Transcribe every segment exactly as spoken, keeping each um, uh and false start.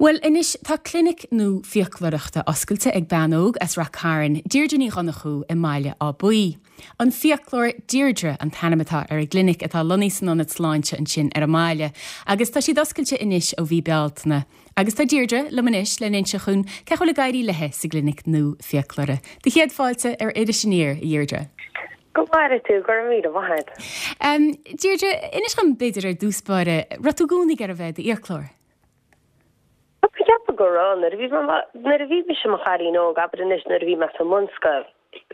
Bhuel anois tá clinic nua fiaclóireachta oscailte ag bean óg as Ráth Cairn, Deirdre Ní Dhonnchú i mBaile Átha Buí. An fiaclóir Deirdre an t-ainm atá ar an gclinic atá lonnaithe san ionad sláinte ansin ar an mbaile, agus tá siad oscailte anois ó mhí Bealtaine. Agus tá Deirdre liom anois le n-inse dhúinn cén chaoi a bhfuil ag éirí léi sa gclinic nua fiaclóra. Do chéad fáilte ar Iris Aniar, a Dheirdre. Go maire tú gur mí bhaid. Um, Deirdre, inis dom b'fhéidir ar dtús báire, raibh tú i gcónaí ag iarraidh bheith i d'fhiaclóir. Ceapaim go raibh nuair a bhí nuair a bhí mise i mo chailín óg abair anois nuair a bhí mé sa mbunscoil.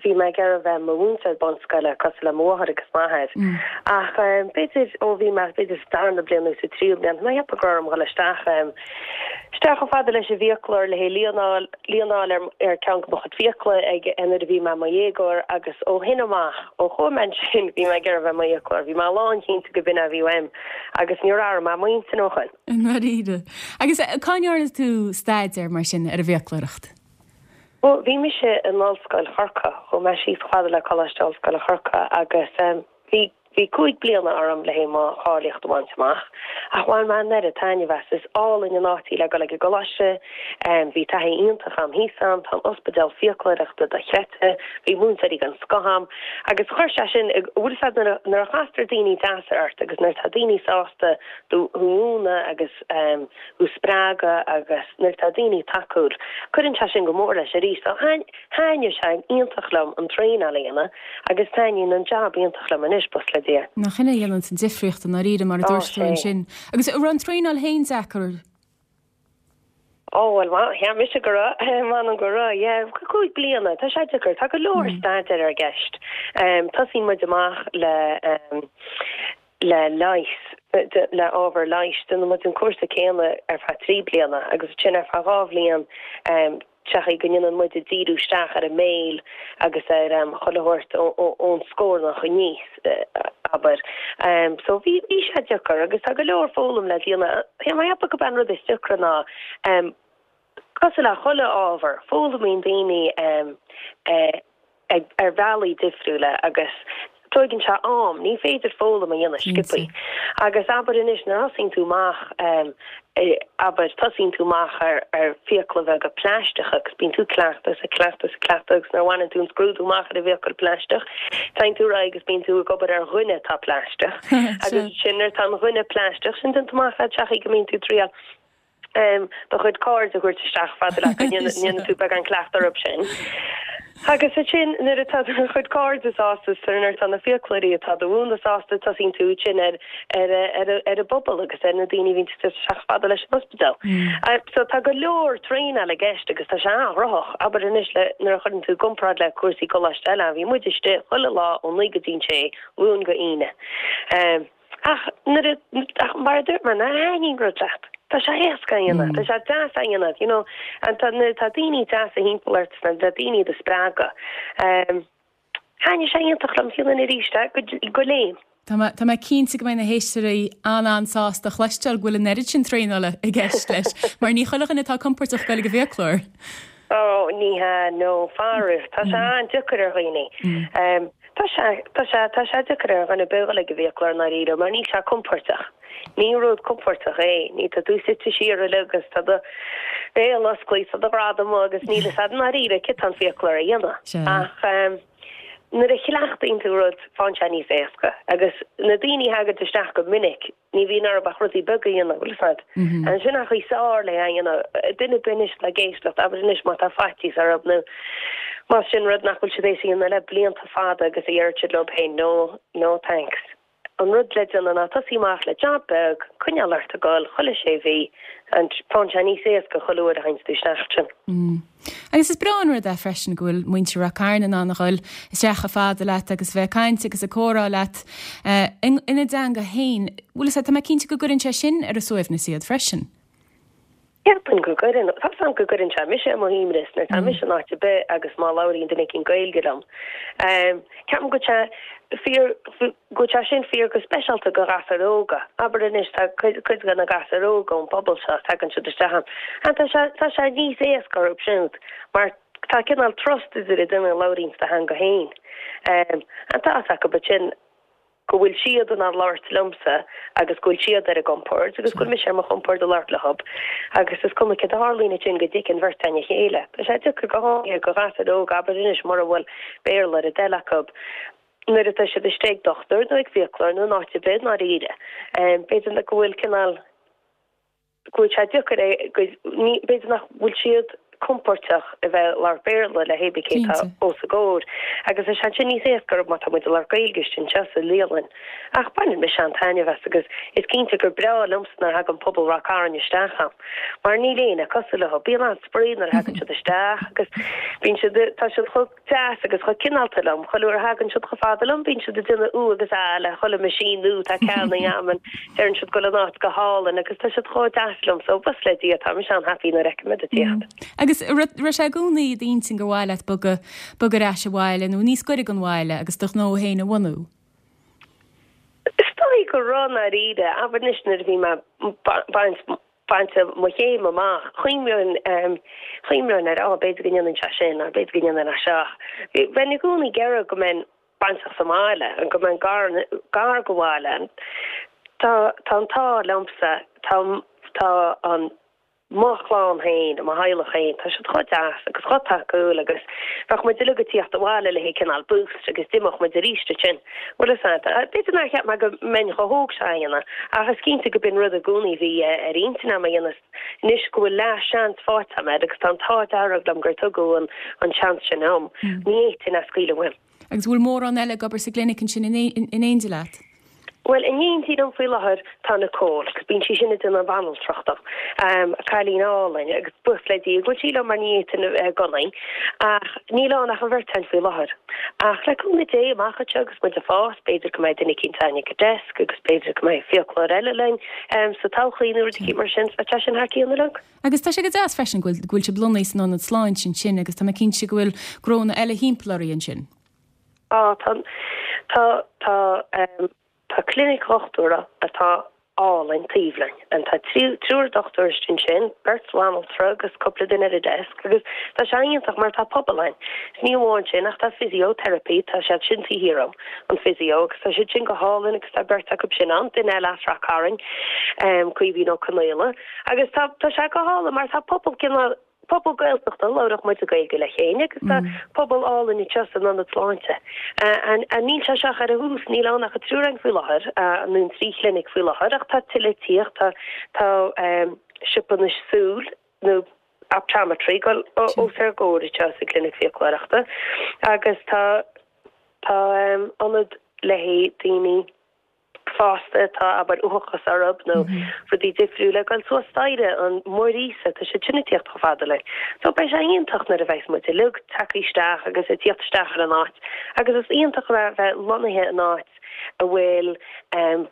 Bhí mé ag iarraidh bheith i mo mhúinteoir bunscoile cosúil le mo mháthair agus m'athair. Mm. Ach um, b'fhéidir ó bhí mé b'fhéidir sa darna bliain nó sa tríú bliain mé cheapadh go raibh orm isteach um, isteach chomh fada leis an bhfiaclóir le líneáil líneáil ar ar ceann de mo chuid fiacla ag nuair a bhí mé i mo dhéagóir agus ó shin amach ó chuaigh mé sin bhí mé ag iarraidh bheith i mo fhiaclóir, bhí mé lánchinnte go b'in a bhí uaim agus níor athraigh mé m'intinn ó shin. Dáiríre. Agus eh, cá ndearna tú staidéar mar sin ar an bhfiaclóireacht? Well, bhí mise in Ollscoil Chorcaí, chuaigh mé síos chomh fada le Coláiste Ollscoile Chorcaí agus um, bhí bhí cúig bliana orm le mo cháilíocht a bhaint amach ach bhain mé an oiread taitneamh as is álainn an áit le dul ag an gcoláiste um, bhí taithí iontach agam thíos ann tá an ospidéal fiaclóireachta dochreidte bhí múinteoirí den scoth agam agus chuir sé sin bhfuil nuair a chastar daoine deasa ort agus nuair tá daoine sásta tú a mhúineadh agus um, thú spreagadh agus nuair tá daoine tacúil. Cuireann sé sin go mór leis arís thaitnigh sé iontach liom an traenáil a dhéanamh agus taitníonn an jab iontach liom anois buíochas le Dia. Nach sin a dhéanann an difríocht i ndáiríre mar a dúirt tú ansin. Agus raibh an traenáil féin deacair Ó well cheap mise go man go raibh cúig bliana tá sé deacair tá go leor mm. staidéar i gceist. Um, Tosaíonn muid amach le um, le leigheas le ábhar leighis déanann muid an cúrsa céanna ar feadh trí bliana agus sin ar feadh dhá bhliain um, techa go ndéanann muid díriú isteach ar an mbéal agus ar um, chuile ón scornach aníos uh, abair. Um, so bhí bhí sé deacair agus tá go leor foghlaim le déanamh cheapfainn gurb an rud is deacra ná um, cosúil le chuile ábhar foghlaimíonn daoine um, uh, ag ar bhealaí difriúla agus tógann sé am ní féidir foghlaim a dhéanamh sciobtha. Agus abair anois nuair a thosaíonn tú amach um, e, abair tosaíonn tú amach ar ar fiacla bheaga plaisteach agus bíonn tú cleachtadh a cleachtadh a cleachtadh agus nuair a bhaineann tú an scrúdú amach ar an bhfiacail plaisteach, Téann tú ar aghaidh agus bíonn tú ag obair ar dhuine atá plaisteach. agus sin ar tá an dhuine plaisteach sin den amach le teachí go mbíonn tú triail um, do chuid cairde a thabhairt isteach fada le ndéanann tú beagán cleachtadh orthu sin. Agus sin nuair atá do chuid cairde sásta nuair atá na fiaclóirí atá do mhúineadh sásta tosaíonn tú sin ar ar ar ar an bpobal agus ar na daoine bhíonn isteach fada leis an ospidéal. Mm. Uh, so tá go leor traenáil i gceist agus tá sé an-ghnóthach abair anois le nuair a chuireann tú i gcomparáid le cúrsaí coláiste eile bhí muid istigh chuile lá ó naoi go dtí a sé Luan go hAoine. Um, ach nuair ach mar dúirt mé na haon rud leat. Tá sé éasca mm. Tá sé deas a dhéanamh you know an tá tá daoine deasa timpeall ort na tá daoine do spreagadh. Um, Thaitnigh sé iontach liom fiú arís go léim. Tá Tá mé cinnte go mbeidh na héisteoirí an-an-sásta cloisteáil go bhfuil an oiread sin traenála i gceist leis, mar ní chuile dhuine atá compordach dul ag an bhfiaclóir. Ó ní hea nó faraor Tá sé an-deacair ar dhaoine. Um, Tá sé tá sé tá sé deacair ar dhuine dul ag an bhfiaclóir i ndáiríre, mar níl sé compordach. Ní rud compordach é, ní tá tú suite siar agus tá do bhéal oscailte tá do ghreadam agus níl a fhios agat i ndáiríre cad tá an fiaclóir a dhéanamh. Ach um, nuair a chleachtaíonn tú rud faigheann sé níos éasca agus na daoine a thagann isteach go minic ní bhíonn orthu ach rudaí beaga a dhéanamh bhfuil fad. An sin ach í sár le duine binis le géistecht aber inis má tá faitíos orthu nó Má sin rud nach bhfuil siad déanta le blianta fada agus a deirid leo féin no no thanks. An rud le déanamh ná tosaí amach le job beag coinneáil ort ag dul chuile sé mhí an faigheann sé níos éasca chuile uair a théann tú isteach sin. Mm. Agus is breá an rud é freisin go bhfuil muintir Ráth Cairn in ann a dhul isteach chomh fada leat agus bheith caint agus ag comhrá leat uh, ina dteanga féin, bhfuil tá mé cinnte go gcuireann sé sin ar a suaimhneas iad freisin. Ceapaim go gcuireann tá go gcuireann sé mise ar mo shuaimhneas nuair tá mise in áit ar bith agus má labhraíonn duine éigin Gaeilge liom. Um, Ceapaim go sé fíor go sé sin fíor go speisialta do ghasúir óga. Abair anois tá cuid de na gasúir óga ón bpobal seo tagann siad isteach. An tá sé tá sé níos éasca orthu siúd mar tá cineál trust idir duine a labhraíonn sa teanga féin. Um, an tá go sin go bhfuil siad in ann labhairt liomsa agus go bhfuil siad ar a gcompord agus go bhfuil mise ar mo chompord ag labhairt leo agus is cuma céard a tharlaíonn ansin go dtuigeann beirt againn a chéile. Tá sé deacair go háirithe do ghasúir óga abair anois mura bhfuil Béarla ar a dtoil acu nuair atá siad istigh ag dochtúir nó ag fiaclóir nó in áit ar bith i ndáiríre. B'fhéidir go bhfuil cineál go bhfuil sé deacair é go ní b'fhéidir nach bhfuil siad compordach a bheith ag labhairt Béarla le hébí cé tá os a gcomhair agus is ansin níos éasca má tá muid ag labhairt Gaeilge anseo sa lialann. Ach baineann mise an-taitneamh as agus is cinnte gur breá liomsa nuair a thagann pobal Ráth Cairn isteach ann. Mar níl éinne cosúil leo, bíonn an-spraoi nuair a thagann siad isteach agus bíonn siad tá siad chomh deas agus chomh cineálta liom, chuile uair a thagann siad chomh fada liom bíonn siad ag déanamh ú agus á le chuile machine nua atá ceannaithe agam, deireann siad go bhfuil an áit go hálainn agus tá siad chomh deas liom so buíochas le Dia tá mise an-happy nuair a fheicim iad ag tíocht. Agus raibh sé i gcónaí i d'intinn gur mhaith leat bogadh bogadh ar ais abhaile nó níos gaire don bhaile agus do ghnó féin a bhunú? Is dóigh go raibh i ndáiríre, abair anois nuair a bhí mé baint bainte mo chéim amach, chuimhneoinn chuimhneoinn ar á b'fhéidir go ndéanfainn sé sin nó b'fhéidir go ndéanfainn é seo. Bheinn i gcónaí ag iarraidh go mbeinn bainteach sa mbaile, go mbeinn gar gar go bhaile. Tá tá an t-ádh liomsa, tá tá an mo chlann féin, mo theaghlach féin, tá siad chomh deas agus chomh tacúil agus bheadh muid uilig ag tíocht abhaile le haghaidh cineál boost agus d'imeodh muid arís ansin. Bhuel is ea, b'fhéidir nár cheap mé go mbeinn chomh hóg seo a dhéanamh ach is cinnte go b'in rud i gcónaí a bhí ar intinn agam a dhéanamh anois go bhfuil leath-seans faighte agam air agus tá an t-ádh dearg liom gur tugadh an an seans sin dom. Ní fhéadfainn é a scaoileadh uaim. Agus bhfuil mórán eile ag obair sa gclinic ansin in éindí leat? Bhuel, in éindí liom faoi láthair tá Nicole, agus bíonn sí sin ag déanamh banaltracht dom. Um, cailín álainn agus buíochas le Dia go bhfuil sí liom mar ní fhéadfainn a bheith gan í. Ach níl ann ach an bheirt againn faoi láthair. Ach le cúnamh Dé amach anseo agus muid ag fás, b'fhéidir go mbeidh duine eicínt againn ag an desk agus b'fhéidir go mbeidh fiaclóir eile linn um, sa todhchaí nó rud eicínt mar sin, so tá sin thar cionn uilig. Agus tá sé go deas freisin go bhfuil go bhfuil sibh lonnaithe san ionad sláinte ansin agus tá mé cinnte go bhfuil gnónna eile thimpeall oraibh ansin. Á tá tá tá um, Tá clinic dhochtúra atá álainn taobh linn. An tá triúr dochtúir ansin, beirt bhanaltra agus cúpla duine ar an desk agus tá sé iontach mar tá pobal ann. Ní amháin sin ach tá physiotherapy tá siad sin taobh thiar dom an physio agus tá siad sin go hálainn agus tá beirt acu sin ann duine eile as Ráth Cairn um, Caoimhín Ó Conaola agus tá tá sé go hálainn mar tá pobal cineál pobal Gaeltachta labhraíonn muid Gaeilge le chéile agus tá pobal álainn anseo san ionad sláinte. An níl sé seo ar a thús níl ann ach an triúr againn faoi láthair nó an trí chlinic faoi láthair ach tá tuilleadh ag tíocht tá tá siopa na súl nó optometry go os ár gcomhair anseo sa clinic fiaclóireachta agus tá tá ionad le haghaidh daoine fásta tá abair uathachas orthu nó rudaí difriúla ag dul suas staighre an Muiríosa tá siad sin ag tíocht chomh fada linn. So beidh sé iontach nuair a bheas muid uilig tagtha isteach agus ag tíocht isteach ar an áit agus is iontach a bheith lonnaithe in áit a bhfuil um,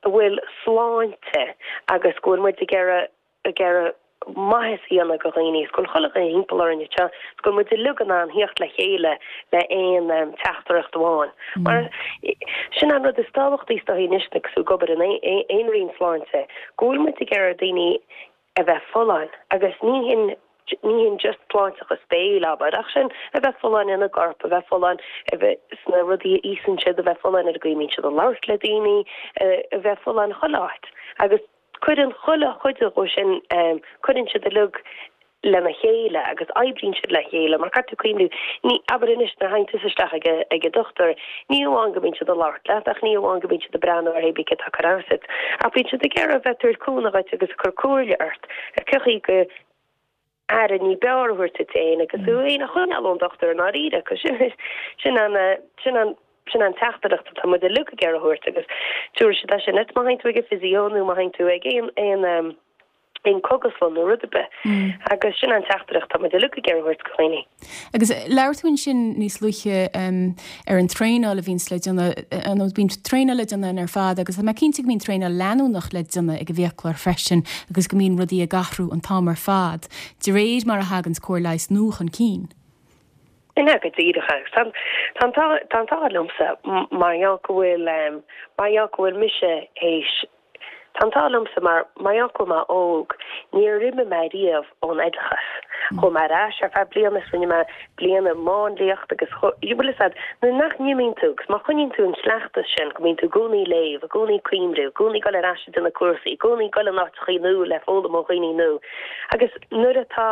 a bhfuil sláinte agus go bhfuil muid ag iarraidh ag iarraidh maitheas a dhéanamh do dhaoine, is go bhfuil chuile dhuine thimpeall orainn anseo, is go bhfuil muid uilig in ann theacht le chéile le aon um, teachtaireacht amháin. Mar sin an rud is tábhachtaí is dóigh anois agus tú ag obair in aon roinn sláinte, go bhfuil muid ag iarraidh daoine a bheith folláin agus ní hin ní hin just sláinteachas béil abair ach sin a bheith folláin ina gcorp, a bheith folláin a bheith sna rudaí a íosann siad, a bheith folláin ar an gcaoi a mbíonn siad ag labhairt le daoine, a bheith folláin chuile áit. Agus cuireann chuile chuid dhó sin cuireann siad uilig lena chéile agus oibríonn siad le chéile mar caithfidh tú cuimhniú ní abair anois nuair a théann tusa isteach ag ag an dochtúir ní amháin go mbíonn siad ag labhairt leat ach ní amháin go mbíonn siad ag breathnú ar hébí cé atá ag cur as duit ach bíonn siad ag iarraidh bheith ag tabhairt cúnamh dhuit agus ag cur comhairle ort ar cén chaoi go aire ní b'fhearr a thabhairt duit féin agus tú féin a choinneáil ón dochtúir i ndáiríre sin sin an sin an sin an teachtaireacht atá muid uilig ag iarraidh a thabhairt agus tabharfaidh siad é sin duit má théann tú ag an physio nó má théann tú ag aon aon um, aon cógaslann nó rud ar bith mm. agus sin an teachtaireacht tá muid uilig ag iarraidh a thabhairt do dhaoine. Agus labhair tú ansin níos luaithe um, ar an traenáil a bhíonns le déanamh nó bíonn traenáil le déanamh ar fad agus tá mé cinnte go mbíonn traenáil leanúnach le déanamh ag an bhfiaclóir freisin agus go mbíonn rudaí ag athrú an t-am ar fad, de réir mar a thagann cóir leighis nua chun cinn. Ina go díreach tá tá an t-ádh liomsa mar gheall go bhfuil mar gheall go bhfuil mise théis Tá an t-ádh liomsa mar mar gheall go bhfuil mé óg, níor imigh mé riamh ón oideachas Chuaigh mé ar ais ar feadh bliana is rinne mé bliain i máinliacht agus bhfuil fhios a'd, nuair nach n-imíonn tú agus má choinníonn tú an cleachtas sin go mbíonn tú i gcónaí ag léamh, i gcónaí ag cuimhniú, i gcónaí ag dul ar ais ag déanamh cúrsaí, i gcónaí ag dul in áiteachaí nua le foghlaim ó dhaoine nua agus nuair atá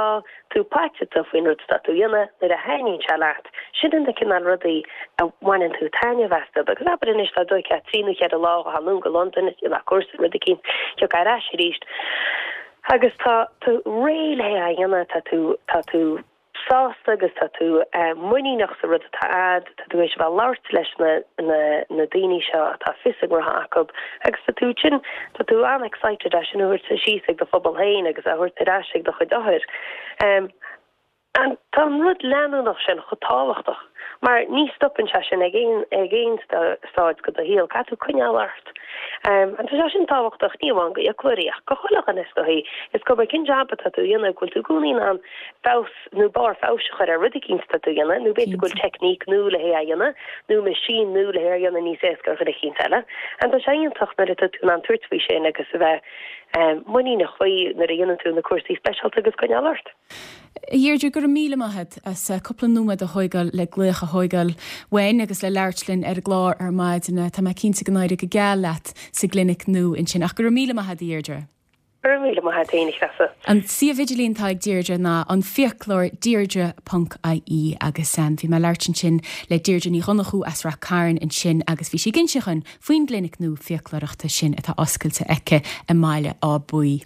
tú paiteanta faoin rud atá tú a dhéanamh, nuair a thaitníonn sé leat, sin na cineál rudaí a bhaineann tú taitneamh astu. Agus abair anois dá dtóigfeá trí nó cheithre lá a ghabháil anonn go Londain is déanamh cúrsa rud eicínt, thiocfá ar ais arís agus tá tú réidh le é a dhéanamh, tá tú, tá tú sásta agus tá tú muiníneach sa rud atá a'd, tá tú éis a bheith ag labhairt leis na, na, na daoine seo atá fios a ngnótha acu agus tá tú sin, tá tú an-excited é sin a thabhairt síos ag do phobal féin agus a thabhairt ar ais ag do chuid othar. An, tá an rud leanúnach sin chomh tábhachtach mar ní stopann sé sin ag aon, ag aon stáid de do shaol, caithfidh tú coinneáil ort. An tá sé sin tábhachtach ní amháin go fhiaclóirí ach go chuile dhuine is dóichí. Is cuma cén jab atá tú a dhéanamh, go bhfuil tú i gcónaí in ann feabhas nó barr feabhais a chur ar rud eicínt atá tú a dhéanamh nó b'fhéidir go bhfuil teicníc nua le hé a dhéanamh nó machine nua le hé a dhéanamh níos éasca ar dhuine eicínt eile. An tá sé iontach nuair atá tú in ann tabhairt faoi sin agus a bheith muiníneach faoi nuair a dhéanann tú na cúrsaí speisialta agus coinneáil ort. A Dheirdre, go raibh míle maith agat as cúpla nóiméad a thógáil le glaoch a thógáil uainn agus le labhairt linn ar an gclár ar maidin. Tá mé cinnte go n-éireoidh go geal leat sa gclinic nua ansin ach go raibh míle maith agat a Dheirdre. Go raibh míle maith agat féin, a Threasa. An suíomh idirlín atá ag Deirdre ná an fiaclóir deirdre ponc ie agus bhí mé ag labhairt ansin le Deirdre Ní Dhonnchú as Rath Cairn ansin agus bhí sí ag inse dhúinn faoin gclinic nua fiaclóireachta sin atá oscailte aici i mBaile Átha Buí.